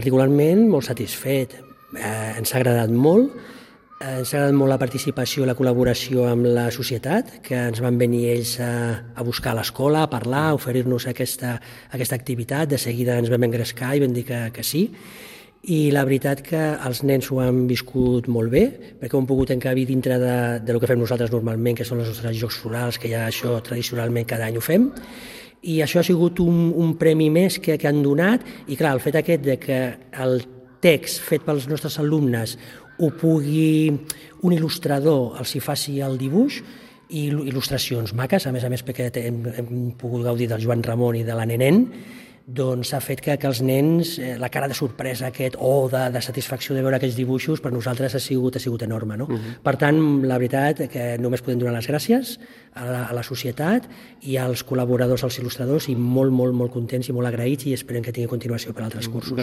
Particularment molt satisfet, ens ha agradat molt. Ens ha agradat molt la participació i la col·laboració amb la societat, que ens van venir ells a buscar a l'escola, a parlar, a oferir-nos aquesta activitat. De seguida ens vam engrescar i vam dir que sí. I la veritat que els nens ho han viscut molt bé, perquè ho han pogut encabir dintre del que fem nosaltres normalment, que són els nostres jocs florals, que ja això tradicionalment cada any ho fem. I això ha sigut un premi més que han donat. I clar, el fet aquest de que el text fet pels nostres alumnes ho pugui un il·lustrador els hi faci el dibuix, i il·lustracions maques, a més perquè hem pogut gaudir del Joan Ramon i de la Nenén, doncs ha fet que els nens, la cara de sorpresa de satisfacció de veure aquests dibuixos, per nosaltres ha sigut enorme. No? Per tant, la veritat que només podem donar les gràcies a la societat i als col·laboradors, als il·lustradors, i molt contents i molt agraïts, i esperem que tingui continuació per altres cursos.